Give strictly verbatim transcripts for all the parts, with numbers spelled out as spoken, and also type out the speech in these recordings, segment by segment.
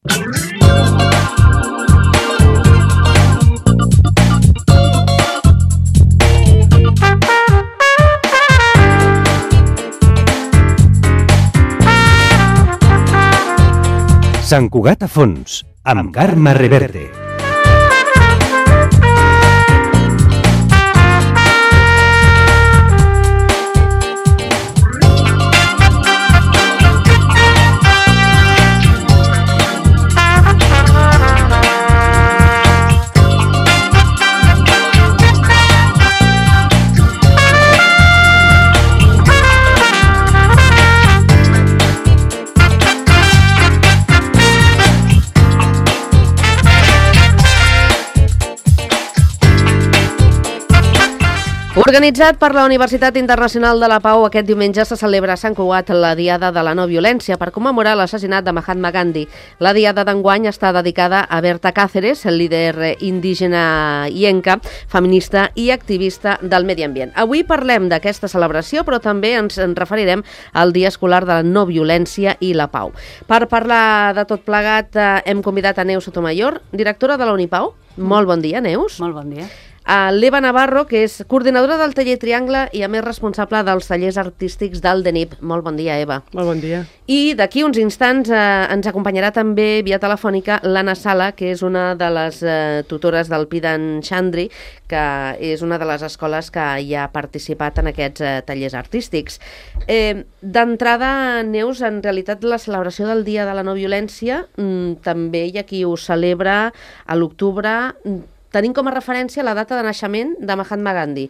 Sant Cugat a fons, amb Carme Reverte. Organitzat per la Universitat Internacional de la Pau, aquest diumenge se celebra a Sant Cugat la Diada de la No Violència per commemorar l'assassinat de Mahatma Gandhi. La Diada d'enguany està dedicada a Berta Cáceres, el líder indígena ienca, feminista i activista del medi ambient. Avui parlem d'aquesta celebració, però també ens en referirem al Dia Escolar de la No Violència i la Pau. Per parlar de tot plegat hem convidat a Neus Sotomayor, directora de la Unipau. Molt bon dia, Neus. Molt bon dia. A l'Eva Navarro, que és coordinadora del taller Triangle i a més responsable dels tallers artístics del D E N I P. Molt bon dia, Eva. Molt bon dia. I d'aquí uns instants eh, ens acompanyarà també via telefònica l'Anna Sala, que és una de les eh, tutores del Pidan Chandri, que és una de les escoles que hi ha participat en aquests eh, tallers artístics. Eh, D'entrada, Neus, en realitat la celebració del Dia de la No Violència mm, també hi ha qui ho celebra a l'octubre. Tenim com a referència la data de naixement de Mahatma Gandhi.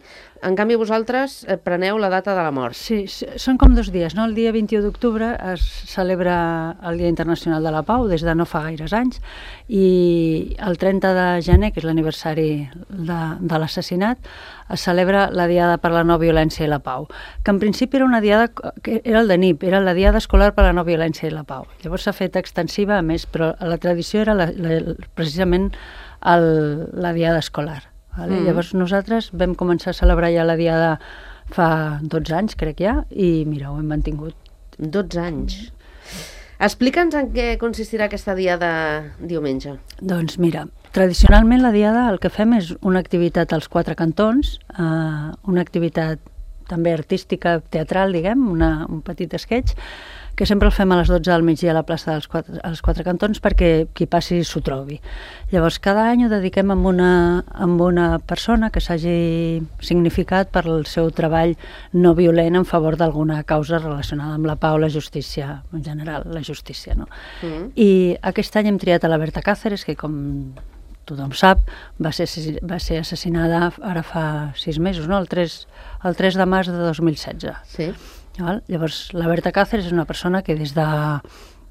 En canvi, vosaltres eh, preneu la data de la mort. Sí, són com dos dies, no? El dia vint-i-u d'octubre es celebra el Dia Internacional de la Pau, des de no fa gaires anys, i el trenta de gener, que és l'aniversari de, de l'assassinat, es celebra la Diada per la No Violència i la Pau, que en principi era una diada, que era el D E N I P, era la Diada Escolar per la No Violència i la Pau. Llavors s'ha fet extensiva, a més, però la tradició era la, la, precisament el, la Diada Escolar. Vale? Mm. Llavors nosaltres vam començar a celebrar ja la Diada fa dotze anys, crec ja, i mira, ho hem mantingut. dotze anys. Explica'ns en què consistirà aquesta Diada diumenge. Doncs mira, tradicionalment la Diada el que fem és una activitat als quatre cantons, eh, una activitat també artística, teatral, diguem, una, un petit sketch, que sempre el fem a les dotze del migdia a la plaça dels quatre, als quatre cantons perquè qui passi s'ho trobi. Llavors, cada any ho dediquem amb una, amb una persona que s'hagi significat per el seu treball no violent en favor d'alguna causa relacionada amb la pau, la justícia, en general, la justícia, no? Mm. I aquest any hem triat a la Berta Cáceres, que com tothom sap, va ser, va ser assassinada ara fa sis mesos, no? el, tres, el tres de març de dos mil setze. Sí. Val? Llavors, la Berta Cáceres és una persona que des de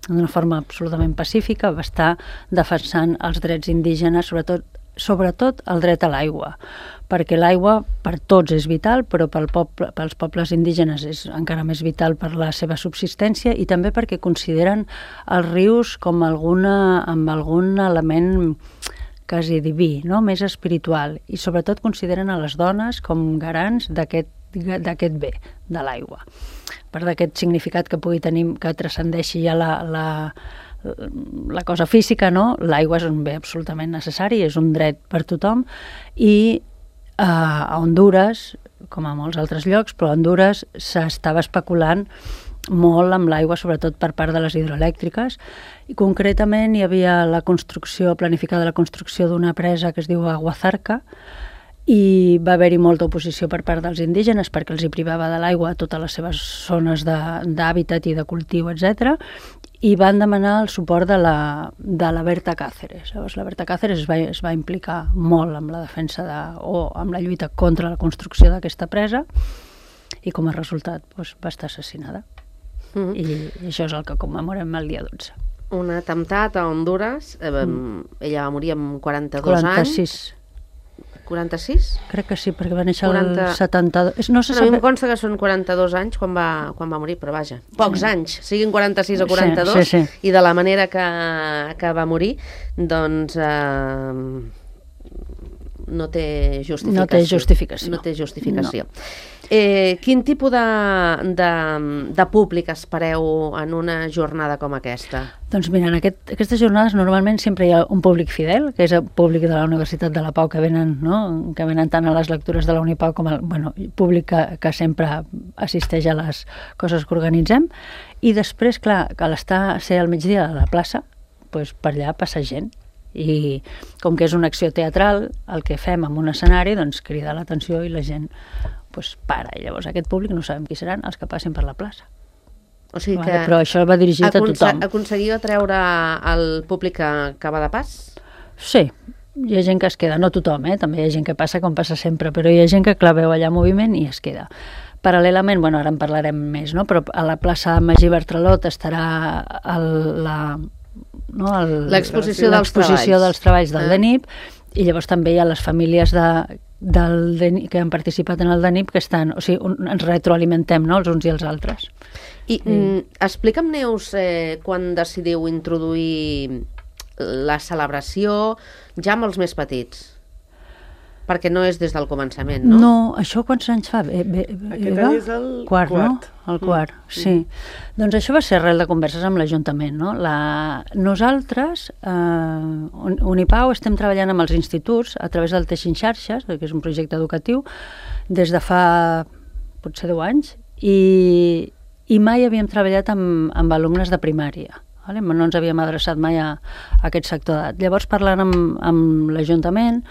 d'una forma absolutament pacífica va estar defensant els drets indígenes, sobretot, sobretot el dret a l'aigua, perquè l'aigua per tots és vital, però pel poble, pels pobles indígenes és encara més vital per la seva subsistència i també perquè consideren els rius com alguna, amb algun element quasi diví, no? Més espiritual, i sobretot consideren a les dones com garants d'aquest d'aquest bé, de l'aigua. Per d'aquest significat que pugui tenir, que transcendeixi ja la, la, la cosa física, no? L'aigua és un bé absolutament necessari, és un dret per tothom, i eh, a Hondures, com a molts altres llocs, però a Hondures s'estava especulant molt amb l'aigua, sobretot per part de les hidroelèctriques, i concretament hi havia la construcció, planificada la construcció d'una presa que es diu Aguazarca, i va haver-hi molta oposició per part dels indígenes perquè els hi privava de l'aigua a totes les seves zones d'hàbitat i de cultiu, etcètera, i van demanar el suport de la, de la Berta Cáceres. Llavors, la Berta Cáceres es va, es va implicar molt amb la defensa de, o amb la lluita contra la construcció d'aquesta presa, i com a resultat doncs, va estar assassinada. Mm-hmm. I, I això és el que commemorem el dia dotze. Un atemptat a Hondures, eh, mm. ella va morir amb quaranta-dos quaranta-sis anys. quaranta-sis? Crec que sí, perquè va néixer quaranta... el setanta-dos. No se no, sap... A mi em consta que són quaranta-dos anys quan va, quan va morir, però vaja, pocs sí. anys, siguin quaranta-sis o quaranta-dos, sí, sí, sí. I de la manera que, que va morir, doncs eh, no té justificació. No té justificació. No té justificació. No. Eh, quin tipus de, de, de públic espereu en una jornada com aquesta? Doncs mira, en aquest, aquestes jornades normalment sempre hi ha un públic fidel, que és el públic de la Universitat de la Pau, que venen, no? que venen tant a les lectures de la Unipau com el bueno, públic que, que sempre assisteix a les coses que organitzem. I després, clar, que a l'estar ser al migdia a la plaça, doncs per allà passa gent. I com que és una acció teatral, el que fem en un escenari, doncs crida l'atenció i la gent doncs, para. I llavors aquest públic no sabem qui seran els que passin per la plaça. O sigui vale, que però això va dirigit a tothom. Aconseguiu atreure el públic que, que va de pas? Sí, hi ha gent que es queda, no tothom, eh? També hi ha gent que passa com passa sempre, però hi ha gent que clar, veu allà moviment i es queda. Paral·lelament, bueno, ara en parlarem més, no? Però a la plaça Magí Bartralot estarà el, la... No, l'exposició dels treballs, dels treballs del ah. D E N I P, i llavors també hi ha les famílies de, del D E N I P que han participat en el D E N I P que estan, o sigui, un, ens retroalimentem, no?, els uns i els altres. I sí. mm, explica'm, Neus, eh, quan decidiu introduir la celebració ja amb els més petits? Perquè no és des del començament, no? No, això quants anys fa? Be, be, Aquest any és el quart, quart. No? El quart, mm. sí. Mm. Doncs això va ser arrel de converses amb l'Ajuntament, no? La... Nosaltres, eh, Unipau, estem treballant amb els instituts a través del Teixint Xarxes, que és un projecte educatiu, des de fa potser deu anys, i, i mai havíem treballat amb, amb alumnes de primària. Vale? No ens havíem adreçat mai a, a aquest sector d'edat. Llavors, parlant amb, amb l'Ajuntament,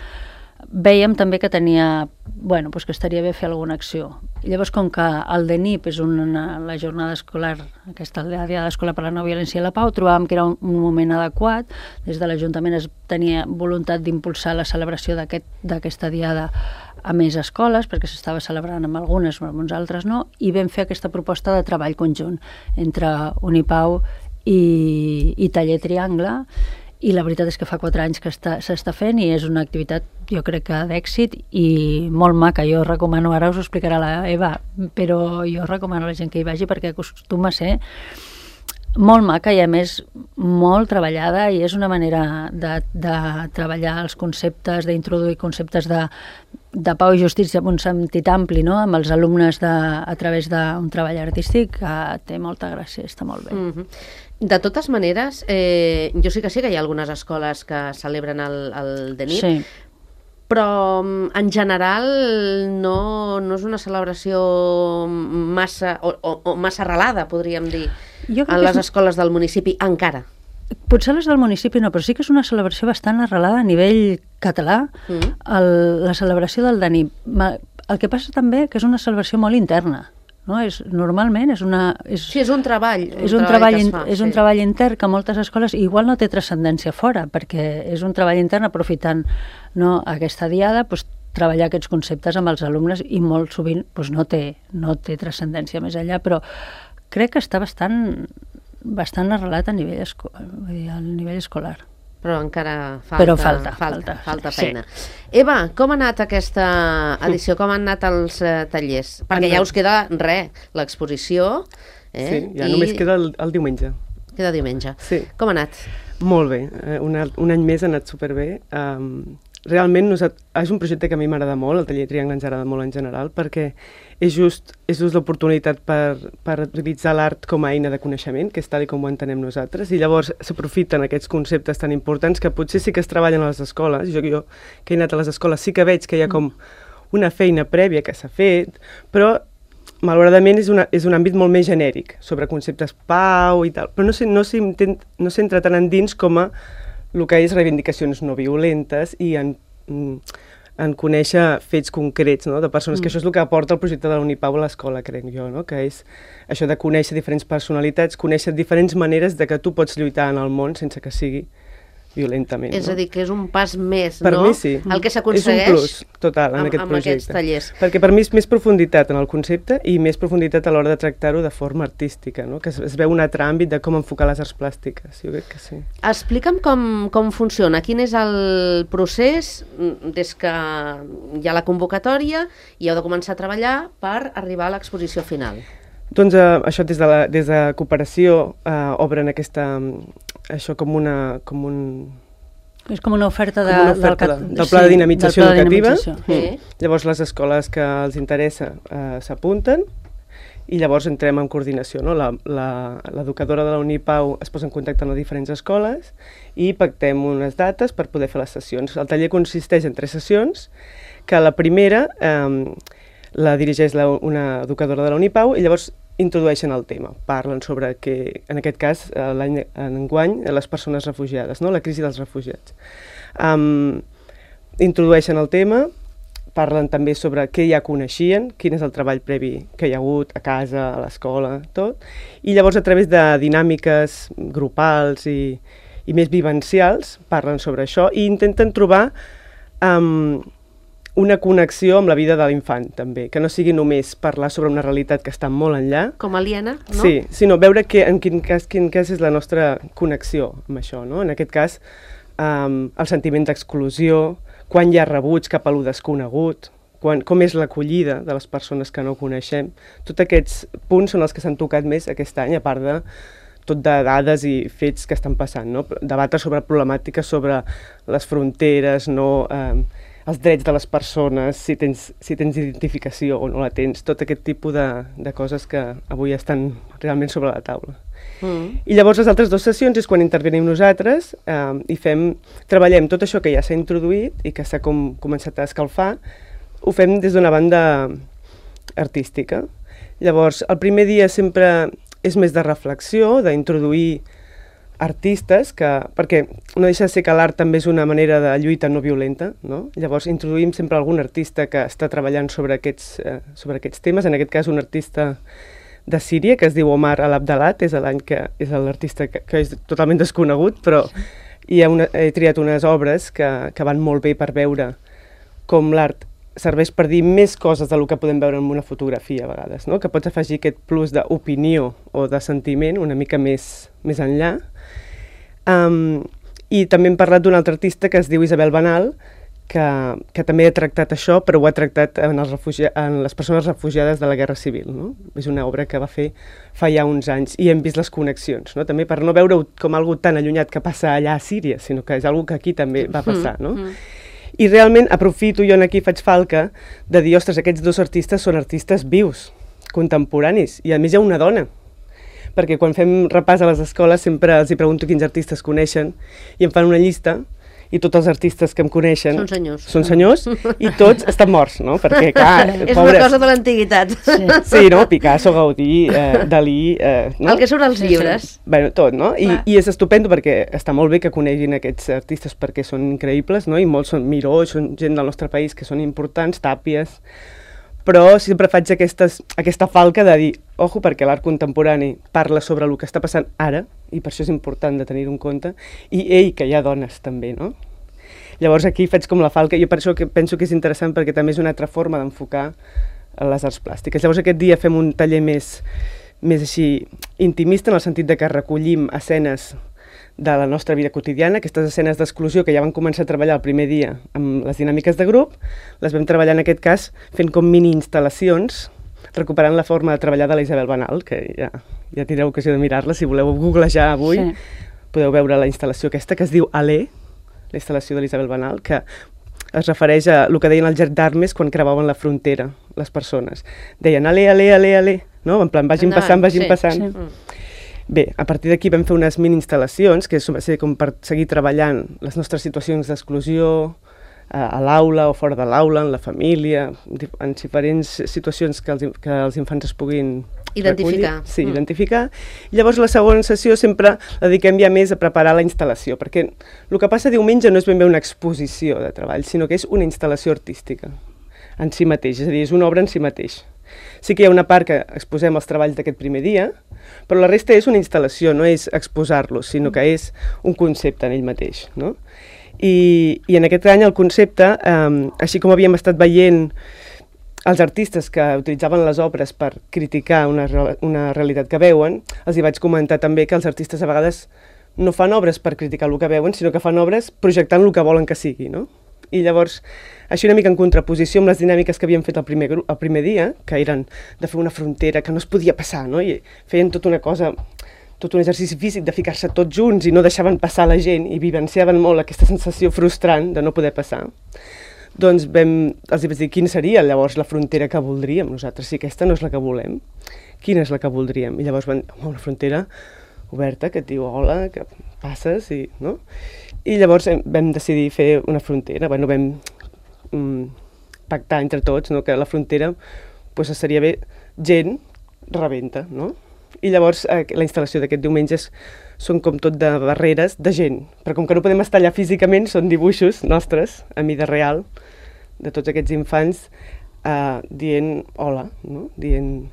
vèiem també que tenia, bueno, doncs que estaria bé fer alguna acció. I llavors, com que el D E N I P és una, la jornada escolar, aquesta la Diada Escolar per la No Violència i la Pau, trobàvem que era un, un moment adequat. Des de l'Ajuntament es tenia voluntat d'impulsar la celebració d'aquesta aquest, diada a més escoles, perquè s'estava celebrant amb algunes, però amb uns altres no, i vam fer aquesta proposta de treball conjunt entre Unipau i, i Taller Triangle, i la veritat és que fa quatre anys que s'està fent i és una activitat, jo crec que d'èxit i molt maca. Jo recomano, ara us ho explicarà la Eva, però jo recomano a la gent que hi vagi perquè acostuma a ser molt maca i a més molt treballada, i és una manera de, de treballar els conceptes, d'introduir conceptes de, de pau i justícia en un sentit ampli, no? Amb els alumnes de, a través d'un treball artístic que té molta gràcia, està molt bé. Mm-hmm. De totes maneres, eh, jo sí que sé que hi ha algunes escoles que celebren el, el D E N I P, sí. Però en general no, no és una celebració massa, o, o, o massa arrelada, podríem dir, en les escoles del municipi, encara. Potser les del municipi no, però sí que és una celebració bastant arrelada a nivell català, mm. el, la celebració del D E N I P. El que passa també que és una celebració molt interna. No? És, normalment és una... És, sí, és un treball. Un és un treball, treball, fa, és sí. un treball intern que moltes escoles igual no té transcendència fora, perquè és un treball intern aprofitant, no, aquesta diada, doncs, treballar aquests conceptes amb els alumnes, i molt sovint doncs, no té, no té transcendència més enllà, però crec que està bastant, bastant arrelat a nivell, esco vull dir, a nivell escolar. Però encara falta, Però falta, falta, falta, falta sí. feina. Eva, com ha anat aquesta edició? Com han anat els eh, tallers? Perquè ja us queda res, l'exposició. Eh? Sí, ja I... només queda el, el diumenge. Queda diumenge. Sí. Com ha anat? Molt bé, un, un any més ha anat superbé. Um, realment és un projecte que a mi m'agrada molt, el Taller Triangle ens agrada molt en general, perquè és just, és just l'oportunitat per, per utilitzar l'art com a eina de coneixement, que és tal com ho entenem nosaltres, i llavors s'aprofiten aquests conceptes tan importants que potser sí que es treballen a les escoles. Jo, jo que he anat a les escoles sí que veig que hi ha com una feina prèvia que s'ha fet, però malauradament és, una, és un àmbit molt més genèric, sobre conceptes pau i tal, però no s'entra no no tant endins com a el que és reivindicacions no violentes i en, en conèixer fets concrets, no? De persones, mm. que això és el que aporta el projecte de la Unipau a l'escola, crec jo, no? Que és això de conèixer diferents personalitats, conèixer diferents maneres de que tu pots lluitar en el món sense que sigui violentament. És no? a dir, que és un pas més, per no? Mi sí. El que s'aconsegueix és un plus total en amb, aquest amb projecte. aquests tallers. Perquè per mi és més profunditat en el concepte i més profunditat a l'hora de tractar-ho de forma artística, no? Que es, es veu un altre àmbit de com enfocar les arts plàstiques. Jo crec que sí. Explica'm com, com funciona, quin és el procés des que hi ha la convocatòria i heu de començar a treballar per arribar a l'exposició final. Doncs eh, això des de, la, des de cooperació eh, obren aquesta, això com una, com un, És com una oferta, de, com una oferta del, de, del pla de dinamització sí, educativa. De dinamització. Mm. Llavors les escoles que els interessa eh, s'apunten i llavors entrem en coordinació, no? L'educadora de la Unipau es posa en contacte amb les diferents escoles i pactem unes dates per poder fer les sessions. El taller consisteix en tres sessions, que la primera eh, la dirigeix la, una educadora de la Unipau i llavors introdueixen el tema. Parlen sobre que, en aquest cas, l'any enguany, les persones refugiades, no? La crisi dels refugiats. Um, introdueixen el tema, parlen també sobre què ja coneixien, quin és el treball previ que hi ha hagut a casa, a l'escola, tot, i llavors a través de dinàmiques grupals i, i més vivencials parlen sobre això i intenten trobar um, una connexió amb la vida de l'infant, també, que no sigui només parlar sobre una realitat que està molt enllà. Com aliena, no? Sí, sinó veure que, en quin cas, quin cas és la nostra connexió amb això, no? En aquest cas, um, el sentiment d'exclusió, quan hi ha rebuig cap a lo desconegut, quan, com és l'acollida de les persones que no coneixem. Tots aquests punts són els que s'han tocat més aquest any, a part de tot de dades i fets que estan passant, no? Debatre sobre problemàtiques sobre les fronteres, no, eh, els drets de les persones, si tens, si tens identificació o no la tens, tot aquest tipus de, de coses que avui estan realment sobre la taula. Mm. I llavors les altres dues sessions és quan intervenim nosaltres eh, i fem, treballem tot això que ja s'ha introduït i que s'ha com, començat a escalfar, ho fem des d'una banda artística. Llavors, el primer dia sempre és més de reflexió, d'introduir artistes, que, perquè no deixa de ser que l'art també és una manera de lluita no violenta, no? Llavors introduïm sempre algun artista que està treballant sobre aquests, eh, sobre aquests temes, en aquest cas un artista de Síria, que es diu Omar Al-Abdalat, és l'any que és l'artista que, que és totalment desconegut, però hi ha una, he triat unes obres que, que van molt bé per veure com l'art serveix per dir més coses del que podem veure en una fotografia a vegades, no? Que pots afegir aquest plus d'opinió o de sentiment una mica més, més enllà. Um, I també hem parlat d'un altre artista que es diu Isabel Banal, que, que també ha tractat això, però ho ha tractat en, els refugi... en les persones refugiades de la Guerra Civil, no? És una obra que va fer fa ja uns anys i hem vist les connexions, no? També per no veure-ho com algo tan allunyat que passa allà a Síria, sinó que és algo que aquí també va passar, no? Mm, mm. I realment aprofito, jo aquí faig falca, de dir, ostres, aquests dos artistes són artistes vius, contemporanis, i a més hi ha una dona, perquè quan fem repàs a les escoles sempre els hi pregunto quins artistes coneixen i em fan una llista i tots els artistes que em coneixen són senyors, són senyors i tots estan morts, no? Perquè, clar, és pobres. una cosa de l'antiguitat. Sí. Sí, no? Picasso, Gaudí, eh, Dalí... Eh, no? El que surt als llibres. Sí. Bueno, tot, no? I, I és estupendo perquè està molt bé que coneguin aquests artistes perquè són increïbles, no? I molts són Miró, són gent del nostre país que són importants, Tàpies... Però sempre faig aquestes, aquesta falca de dir, ojo, perquè l'art contemporani parla sobre el que està passant ara, i per això és important de tenir-ho en compte, i ei, que hi ha dones també, no? Llavors aquí faig com la falca, jo per això que penso que és interessant perquè també és una altra forma d'enfocar les arts plàstiques. Llavors aquest dia fem un taller més, més així intimista, en el sentit de que recollim escenes de la nostra vida quotidiana, aquestes escenes d'exclusió que ja van començar a treballar el primer dia amb les dinàmiques de grup, les vam treballar en aquest cas fent com mini-instal·lacions, recuperant la forma de treballar de la Isabel Banal, que ja, ja tindreu ocasió de mirar-la, si voleu googlejar avui, sí. Podeu veure la instal·lació aquesta, que es diu Alé, la instal·lació de l'Isabel Banal, que es refereix a el que deien els gendarmes quan creuaven la frontera, les persones. Deien, alé, alé, alé, alé, no? En plan, vagin passant, vagin sí, passant. Sí. Bé, a partir d'aquí vam fer unes mini-instal·lacions, que va ser com per seguir treballant les nostres situacions d'exclusió a, a l'aula o fora de l'aula, en la família, en diferents situacions que els, que els infants es puguin identificar. Recollir. Sí, mm. identificar. I llavors la segona sessió sempre la dediquem ja més a preparar la instal·lació, perquè el que passa diumenge no és ben bé una exposició de treball, sinó que és una instal·lació artística en si mateix, és a dir, és una obra en si mateix. Sí que hi ha una part que exposem els treballs d'aquest primer dia, però la resta és una instal·lació, no és exposar-los, sinó que és un concepte en ell mateix, no? I, i en aquest any el concepte, eh, així com havíem estat veient els artistes que utilitzaven les obres per criticar una, una realitat que veuen, els hi vaig comentar també que els artistes a vegades no fan obres per criticar el que veuen, sinó que fan obres projectant el que volen que sigui, no? I llavors, així una mica en contraposició amb les dinàmiques que havíem fet el primer, el primer dia, que eren de fer una frontera que no es podia passar, no? I feien tota una cosa, tot un exercici físic de ficar-se tots junts i no deixaven passar la gent i vivenciaven molt aquesta sensació frustrant de no poder passar, doncs vam, els vaig dir quina seria llavors la frontera que voldríem nosaltres, si aquesta no és la que volem, quina és la que voldríem? I llavors van dir, oh, una frontera oberta que et diu hola, que passes i... no? I llavors vam decidir fer una frontera, bueno, vam mm, pactar entre tots, no? Que la frontera pues, seria bé gent rebenta, no? I llavors eh, la instal·lació d'aquest diumenge són com tot de barreres de gent, però com que no podem estar allà físicament, són dibuixos nostres, a mida real, de tots aquests infants, eh, dient hola, no? Dient...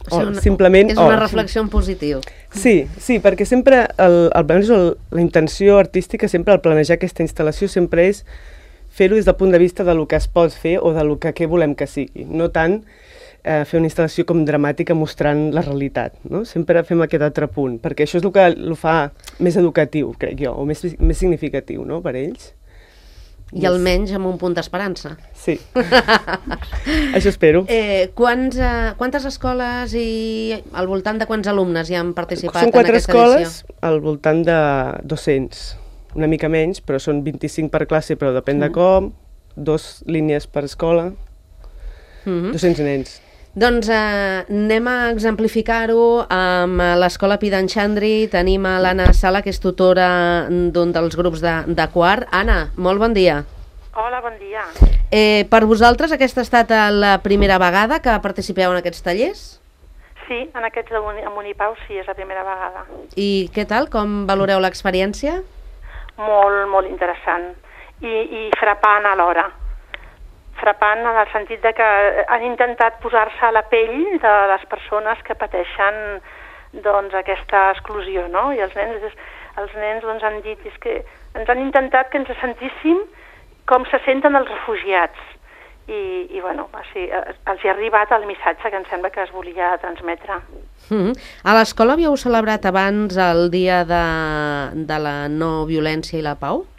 O sigui, una, simplement és una oh, reflexió en positiu. Sí, sí, perquè sempre el, el, el, la intenció artística, sempre al planejar aquesta instal·lació, sempre és fer-ho des del punt de vista de lo que es pot fer o de lo que què volem que sigui. No tant eh, fer una instal·lació com dramàtica mostrant la realitat, no? Sempre fem aquest altre punt, perquè això és el que el fa més educatiu, crec jo, o més, més significatiu, no?, per ells. I almenys amb un punt d'esperança. Sí, això espero. Eh, quants, eh, quantes escoles i al voltant de quants alumnes hi han participat són en aquesta edició? Són quatre escoles, al voltant de dos-cents, una mica menys, però són vint-i-cinc per classe, però depèn mm. de com, dos línies per escola, mm-hmm. dos-cents nens. Doncs eh, anem a exemplificar-ho amb l'Escola Pidanxandri. Tenim a l'Anna Sala, que és tutora d'un dels grups de, de quart. Anna, molt bon dia. Hola, bon dia. Eh, per vosaltres aquesta ha estat la primera vegada que participeu en aquests tallers? Sí, en aquests de Unipau sí, és la primera vegada. I què tal? Com valoreu l'experiència? Molt, molt interessant i, i frapant alhora. Frapant en el sentit de que han intentat posar-se a la pell de les persones que pateixen doncs, aquesta exclusió, no? I els nens, els nens doncs, han dit és que ens han intentat que ens sentíssim com se senten els refugiats. I, i bueno, així, els hi ha arribat el missatge que em sembla que es volia transmetre. Mm-hmm. A l'escola havíeu celebrat abans el dia de, de la no violència i la pau?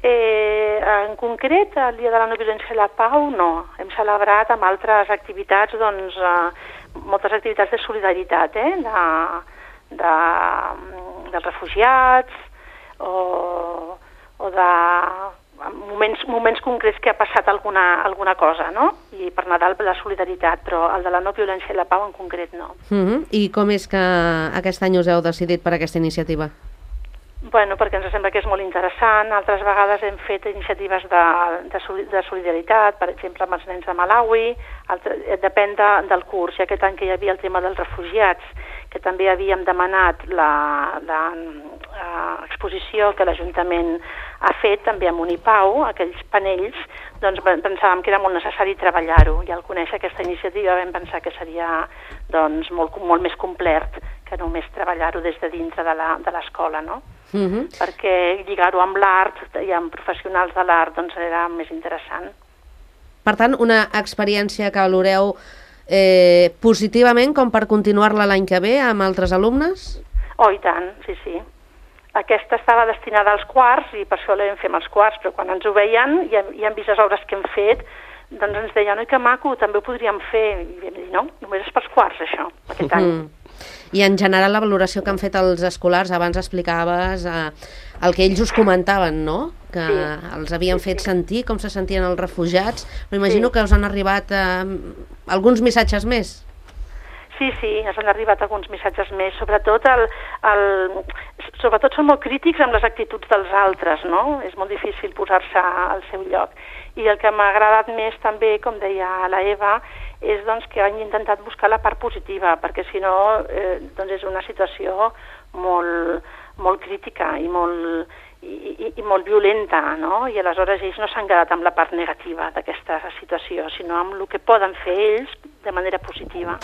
Eh, en concret, el Dia de la No Violència i la Pau, no. Hem celebrat amb altres activitats, doncs, eh, moltes activitats de solidaritat, eh? de, de, dels refugiats o, o de moments, moments concrets que ha passat alguna, alguna cosa, no? I per Nadal la solidaritat, però el de la no violència i la pau en concret no. Mm-hmm. I com és que aquest any us heu decidit per aquesta iniciativa? Bueno, perquè ens sembla que és molt interessant. Altres vegades hem fet iniciatives de, de, de solidaritat, per exemple, amb els nens de Malawi, altre, depèn de, del curs. I aquest any que hi havia el tema dels refugiats, que també havíem demanat l'exposició que l'Ajuntament ha fet també amb Unipau, aquells panells, doncs pensàvem que era molt necessari treballar-ho. I al conèixer aquesta iniciativa vam pensar que seria doncs, molt, molt més complet que només treballar-ho des de dintre de l'escola, no? Uh-huh. Perquè lligar-ho amb l'art i amb professionals de l'art doncs era més interessant. Per tant, una experiència que valoreu eh, positivament com per continuar-la l'any que ve amb altres alumnes? Oh, i tant, sí, sí. Aquesta estava destinada als quarts i per això l'hem fet amb els quarts, però quan ens ho veien i, i han vist les obres que hem fet, doncs ens deien, oi, que maco, també ho podríem fer. I vam dir, no, només és pels quarts, això, aquest any. Uh-huh. I en general la valoració que han fet els escolars, abans explicaves eh, el que ells us comentaven, no? Que sí. els havien sí, fet sí. sentir com se sentien els refugiats, però imagino sí. que us han arribat eh, alguns missatges més. Sí, sí, ens han arribat alguns missatges més, sobretot, el, el, sobretot són molt crítics amb les actituds dels altres, no? És molt difícil posar-se al seu lloc. I el que m'ha agradat més també, com deia la Eva, és doncs, que han intentat buscar la part positiva, perquè si no eh, doncs és una situació molt, molt crítica i molt, i, i, i molt violenta, no? I aleshores ells no s'han quedat amb la part negativa d'aquesta situació, sinó amb el que poden fer ells de manera positiva.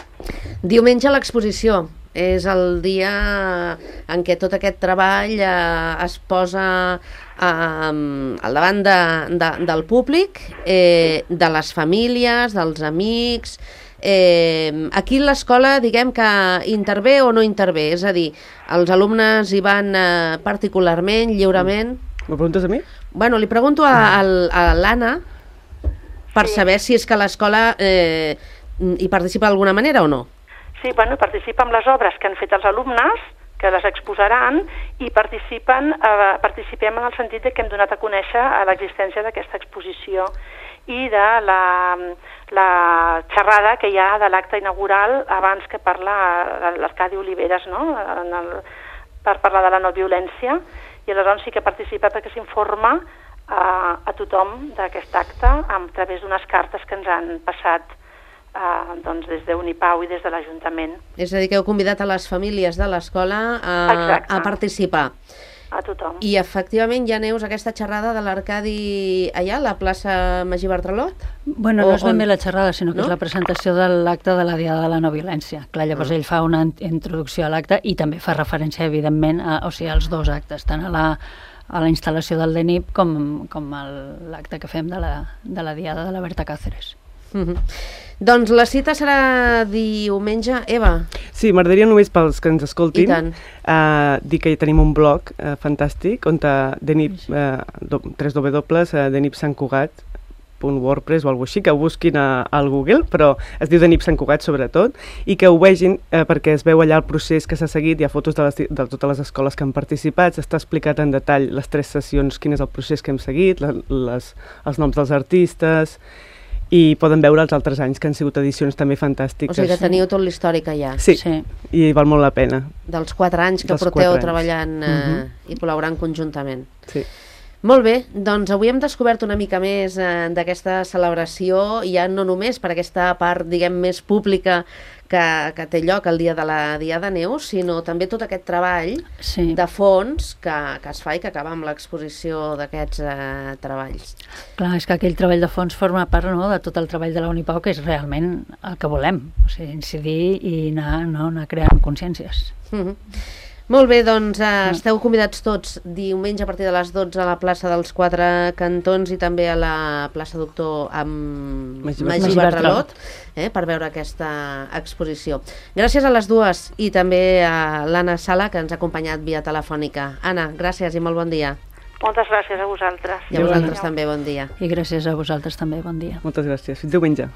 Diumenge l'exposició és el dia en què tot aquest treball eh, es posa eh, al davant de, de, del públic, eh, de les famílies, dels amics. Eh, aquí l'escola, diguem que intervé o no intervé, és a dir, els alumnes hi van eh, particularment, lliurement. M'ho preguntes a mi? Bueno, li pregunto a, a, a l'Anna per sí. saber si és que l'escola eh, hi participa d'alguna manera o no. Sí, sí, bueno, participa en les obres que han fet els alumnes, que les exposaran, i participen, eh, participem en el sentit de que hem donat a conèixer l'existència d'aquesta exposició i de la, la xerrada que hi ha de l'acte inaugural abans que parla l'Arcadi Oliveres, no?, en el, per parlar de la no violència, i aleshores sí que participa perquè s'informa a, a tothom d'aquest acte a través d'unes cartes que ens han passat Uh, doncs des d'Unipau i des de l'Ajuntament. És a dir, que heu convidat a les famílies de l'escola a, a participar. A tothom. I efectivament ja Neus, aquesta xerrada de l'Arcadi allà, a la plaça Magí Bartralot? Bueno, no és ben bé la xerrada, sinó que no? és la presentació de l'acte de la Diada de la No Violència. Clar, llavors mm. ell fa una introducció a l'acte i també fa referència, evidentment, a, o sigui, als dos actes, tant a la, a la instal·lació del D N I P com, com a l'acte que fem de la, de la Diada de la Berta Cáceres. Mm-hmm. Doncs la cita serà diumenge, Eva? Sí, m'agradaria només pels que ens escoltin uh, dir que hi tenim un blog uh, fantàstic on D N I P, uh, tres doble u doble u D N I P Sant Cugat punt wordpress o alguna cosa així, que ho busquin a, al Google, però es diu D N I P Sant Cugat sobretot, i que ho vegin eh, perquè es veu allà el procés que s'ha seguit, hi ha fotos de, les, de totes les escoles que han participat, s'està explicat en detall les tres sessions, quin és el procés que hem seguit, les, les, els noms dels artistes, i poden veure els altres anys que han sigut edicions també fantàstiques. O sigui que teniu tot l'històric allà. Sí, sí, i val molt la pena. Dels quatre anys que Dels porteu anys. treballant eh, uh-huh. i col·laborant conjuntament. Sí. Molt bé, doncs avui hem descobert una mica més eh, d'aquesta celebració, ja no només per aquesta part, diguem, més pública que, que té lloc el dia de la Diada Neus, sinó també tot aquest treball sí. de fons que, que es fa i que acaba amb l'exposició d'aquests eh, treballs. Clar, és que aquell treball de fons forma part, no?, de tot el treball de la Unipau, que és realment el que volem, o sigui, incidir i anar, no, anar creant consciències. Mm-hmm. Molt bé, doncs eh, esteu convidats tots diumenge a partir de les dotze a la plaça dels Quatre Cantons i també a la plaça Doctor amb Magí Magí Bartralot eh, per veure aquesta exposició. Gràcies a les dues i també a l'Anna Sala, que ens ha acompanyat via telefònica. Anna, gràcies i molt bon dia. Moltes gràcies a vosaltres. I a vosaltres també, bon dia. I gràcies a vosaltres també, bon dia. Moltes gràcies. Fins diumenge.